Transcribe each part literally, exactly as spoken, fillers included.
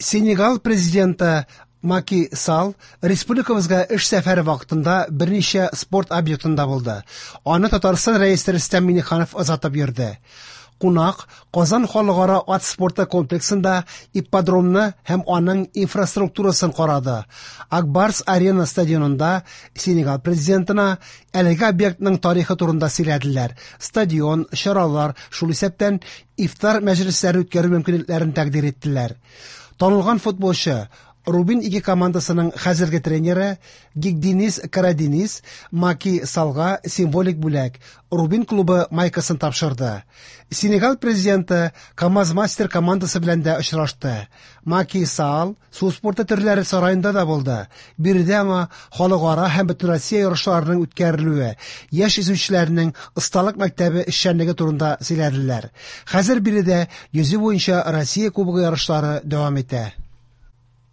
Сенегал президенты Маки Сал республикабызга эш сәфәре вакытында берничә спорт объектында булды. Аны Татарстан Рәисе Рөстәм Миңнеханов озатып йөрде. Кунак Казан халыкара ат спорты комплексында ипподромны һәм аның инфраструктурасын карады. Акбарс Арена стадионында Сенегал президентына әлеге объектның тарихы турында сөйләделәр. Стадион, чаралар, шул исәптән ифтар мәҗлесләре үткәрү мөмкинлекләрен тәкъдир иттеләр. Танылган футболчы Рубин ике командасының хәзерге тренеры Гигдинис Карадинис Маки Салга символик бүләк Рубин клубы майкасын тапшырды. Сенегал президенты КАМАЗ-мастер командасы белән дә очрашты. Маки Сал су спорты төрләре сараенда да булды. Биредә аңа халыкара һәм бөтенроссия ярышларының үткәрелүе, яшь йөзүчеләрнең осталык мәктәбе эшчәнлеге турында сөйләделәр. Хәзер биредә йөзү буенча Россия кубогы ярышлары дәвам итә.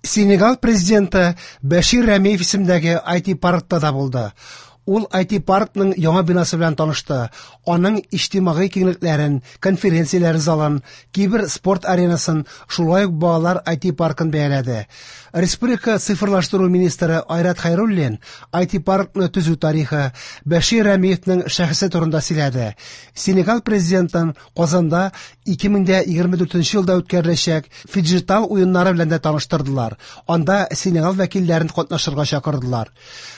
Сенегал президенты Бәшир Рәмиев исемендәге ай ти-паркта да булды. Ул ай ти-паркның яңа бинасы белән танышты. Аның иҗтимагый киңлекләрен, конференцияләр залын, кибер-спорт аренасын, шулай ук балалар ай ти-паркын бәяләде. Республика цифрлаштыру министры Айрат Хәйруллин ай ти-паркны төзү тарихы, Бәшир Рәмиевнең шәхесе турында сөйләде. Сенегал президентын Казанда ике мең дә егерме дүртенче елда үткәреләчәк фиджитал уеннары белән дә таныштырдылар. Анда Сенегал вәкилләрен катнашырга чакырдылар.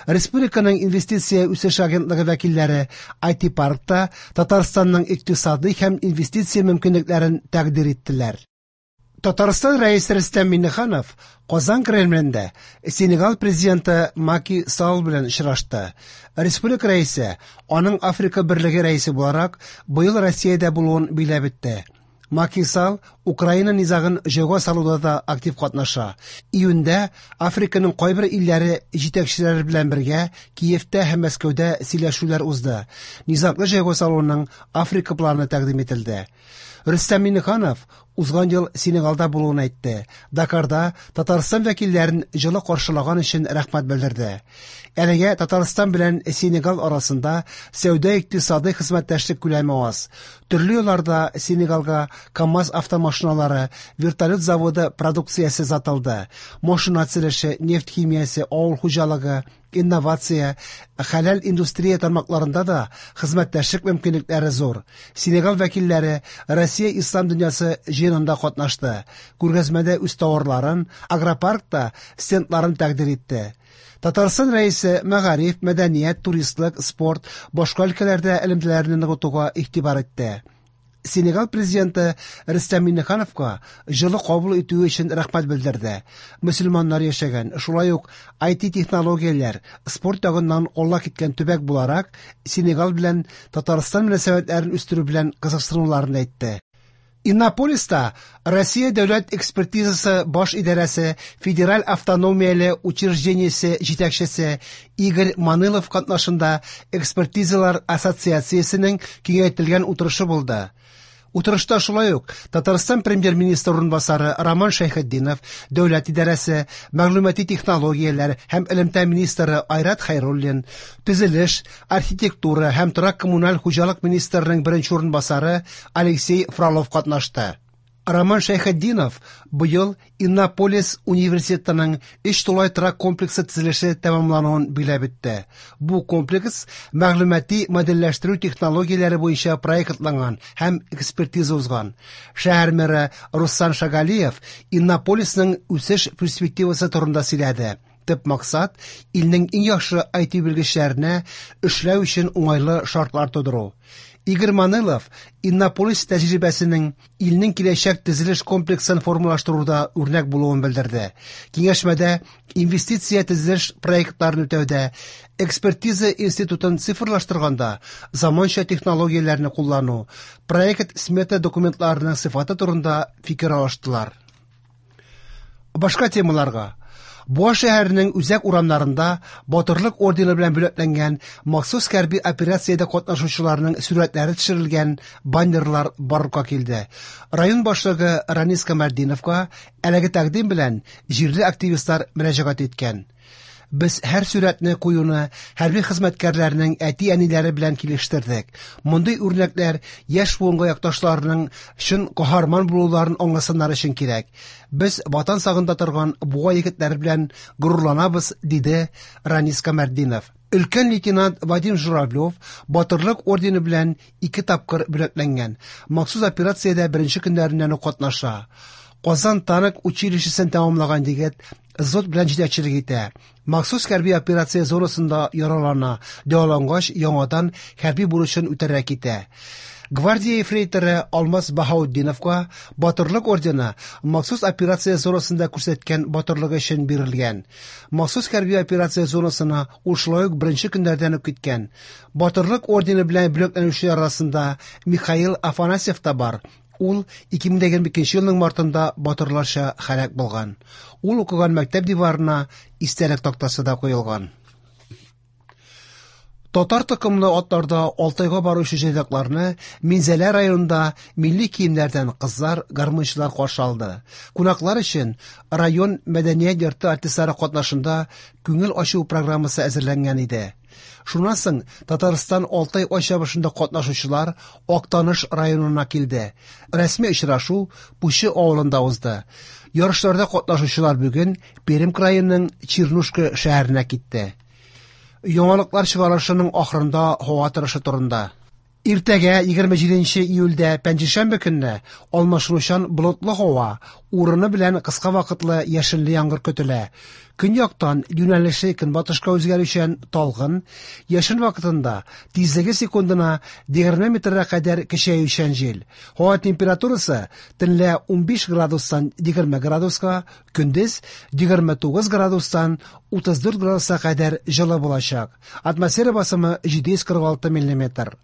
Республиканың инвестиция үсеш агентлыгы вәкилләре ай ти-паркта Татарстанның икътисади һәм инвестиция мөмкинлекләрен тәкъдир иттеләр. Татарстан Рәисе Рөстәм Миңнеханов Казан Кремлендә Сенегал президенты Маки Сал белән очрашты. Республика рәисе аның Африка Берлеге рәисе буларак быел Россиядә булуын биләп үтте. Маки Сал Украина низагын җайга салуда да актив катнаша. Июньдә Африканың кайбер илләре җитәкчеләре белән бергә Киевтә һәм Мәскәүдә сөйләшүләр узды. Низаглы җайга салуның Африка планы тәкъдим ителде. Рөстәм Миңнеханов узган ел Сенегалда булуын әйтте. Дакарда Татарстан вәкилләрен җылы каршылаган өчен рәхмәт белдерде. Әлегә Татарстан белән Сенегал арасында сәүдә-икътисади хезмәттәшлек күләме аз. Төрле елларда Сенегалга КАМАЗ автомашиналары, вертолет заводы продукциясе сатылды. Машина төзелеше, нефть химиясе, авыл хуҗалыгы, инновация, хәләл индустрия тармакларында да хезмәттәшлек мөмкинлекләре зур. Сенегал вәкилләре Россия ислам дөньясы җыенында катнашты. Күргәзмәдә үз товарларын, агропаркта стендларын тәкъдир итте. Татарстан рәисе мәгариф, мәдәният, туристлык, спорт, башка өлкәләрдә элемтәләрне ныгытуга игътибар итте. Сенегал президенты Рөстәм Миңнехановка җылы кабул итүе өчен рәхмәт белдерде. Мөселманнар яшәгән, шулай ук ай ти-технологияләр, спорт ягыннан алга киткән төбәк буларак, Сенегал белән Татарстан мөнәсәбәтләрен үстерү белән кызыксынуларын әйтте. Иннополиста Россия дәүләт экспертизасы баш идарәсе Федераль автономияле учреждениесе җитәкчесе Игорь Манылов катнашында экспертизалар ассоциациясенең киңәйтелгән утырышы булды. Утырышта шулай ук Татарстан премьер-министры урынбасары Роман Шәйхетдинов, дәүләт идарәсе, мәгълүмати технологияләр һәм элемтә министры Айрат Хәйруллин, төзелеш, архитектура һәм торак коммуналь хуҗалык министрының беренче урынбасары Алексей Фролов катнашты. Роман Шәйхетдинов быел Иннополис университетының өч тулай торак комплексы төзелеше тәмамлануын биләп үтте. Бу комплекс мәгълүмати модельләштерү технологияләре буенча проектланган һәм экспертиза узган. Шәһәр мэры Руслан Шагалиев Иннополисның үсеш перспективасы турында сөйләде. Төп максат илнең иң яхшы ай ти белгечләренә эшләү өчен уңайлы шартлар тудыру. Игорь Манылов Иннополис тәҗрибәсенең илнең киләчәк төзелеш комплексын формалаштыруда үрнәк булуын белдерде. Киңәшмәдә инвестиция төзелеш проектларын үтәүдә, экспертиза институтын цифрлаштырганда заманча технологияләрне куллану, проект смета документларының сыйфаты турында фикер алыштылар. Башка темаларга. Буа шәһәренең үзәк урамнарында Батырлык ордены белән бүләкләнгән махсус хәрби операциядә катнашучыларның сурәтләре төшерелгән баннерлар барлыкка килде. Район башлыгы Ранис Камәрдиновка әлеге тәкъдим белән җирле активистлар мөрәҗәгать иткән. Без һәр сурәтне куюны хәрби хезмәткәрләрнең әти-әниләре белән килештердек. Мондый үрнәкләр яшь буынга якташларының чын каһарман булуларын аңласыннар өчен кирәк. Без ватан сагында торган Буа егетләре белән горурланабыз, диде Ранис Камәртдинов. Өлкән лейтенант Вадим Журавлев Батырлык ордены белән ике тапкыр бүләкләнгән. Махсус операциядә беренче көннәреннән үк катнаша. Казан танк училищесын тәмамлаган егет взвод белән җитәкчелек итә. Махсус хәрби операция зонасында яралана, дәвалангач яңадан хәрби бурычын үтәргә китә. Гвардия ефрейторы Алмаз Баһаутдиновка Батырлык ордены махсус операция зонасында күрсәткән батырлыгы өчен бирелгән. Махсус хәрби операция зонасына ул шулай ук беренче көннәрдән үк киткән. Батырлык ордены белән бүләкләнүчеләр арасында Михаил Афанасьев та бар. Ул ике мең егерме икенче елның мартында батырларча һәлак булган. Ул укыган мәктәп диварына истәлек тактасы да куелган. Татар токымлы атларда Алтайга баручы җайдакларны Минзәлә районында милли киемнәрдән кызлар, гармунчылар каршы алды. Кунаклар өчен район мәдәният йорты артистлары катнашында күңел ачу программасы әзерләнгән иде. Шуннан соң Татарстан Алтай ат чабышында катнашучылар Актаныш районына килде. Рәсми очрашу Пучы авылында узды. Ярышларда катнашучылар бүген Пермь краеның Чернушка шәһәренә китте. Яңалыклар чыгарылышының ахырында һава торышы турында. Иртәгә егерме җиденче июльдә пәнҗешәмбе көнне алмашынучан болытлы һава, урыны белән кыска вакытлы яшенле яңгыр көтелә. Көньяктан юнәлеше көнбатышка үзгәрүчән талгын, яшен вакытында тизлеге секундына егерме метрга кадәр көчәючән җил. Һава температурасы төнлә унбиш градустан егерме градуска, көндез егерме тугыз градустан утыз дүрт градуска кадәр җылы булачак. Атмосфера басымы җиде йөз кырык алты миллиметр.